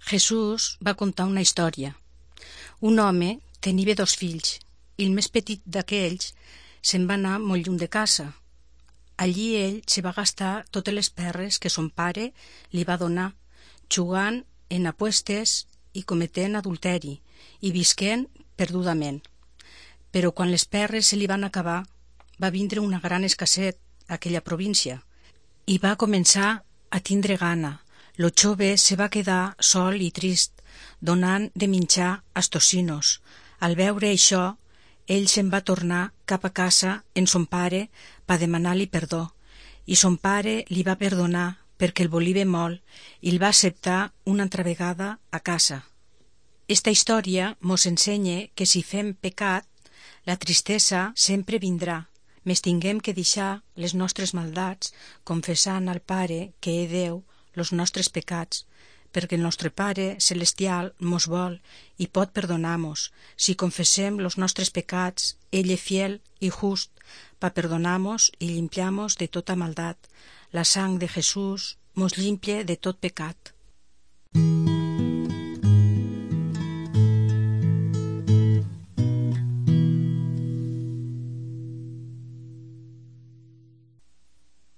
Jesús va contar una història. Un home tenia 2 fills i el més petit d'aquells se'n va anar molt lluny de casa. Allí ell se va gastar totes les perres que son pare li va donar, jugant en apuestes i cometent adulteri i visquent perdudament. Però quan les perres se li van acabar, va vindre una gran escasset a aquella província i va començar a tindre gana. Lo jove se va quedar sol i trist, donant de menjar als tocinos. Al veure això, ell se'n va tornar cap a casa en son pare per demanar-li perdó, i son pare li va perdonar perquè el volia molt i el va acceptar una altra vegada a casa. Esta història mos ensenya que si fem pecat, la tristesa sempre vindrà. Mes tinguem que deixar les nostres maldats, confessant al Pare que és Déu los nostres pecats, perquè el nostre Pare celestial mos vol i pot perdonar-mos. Si confessem los nostres pecats, ell és fiel i just per perdonar-mos i limpiar-mos de tota maldat. La sang de Jesús mos limpia de tot pecat.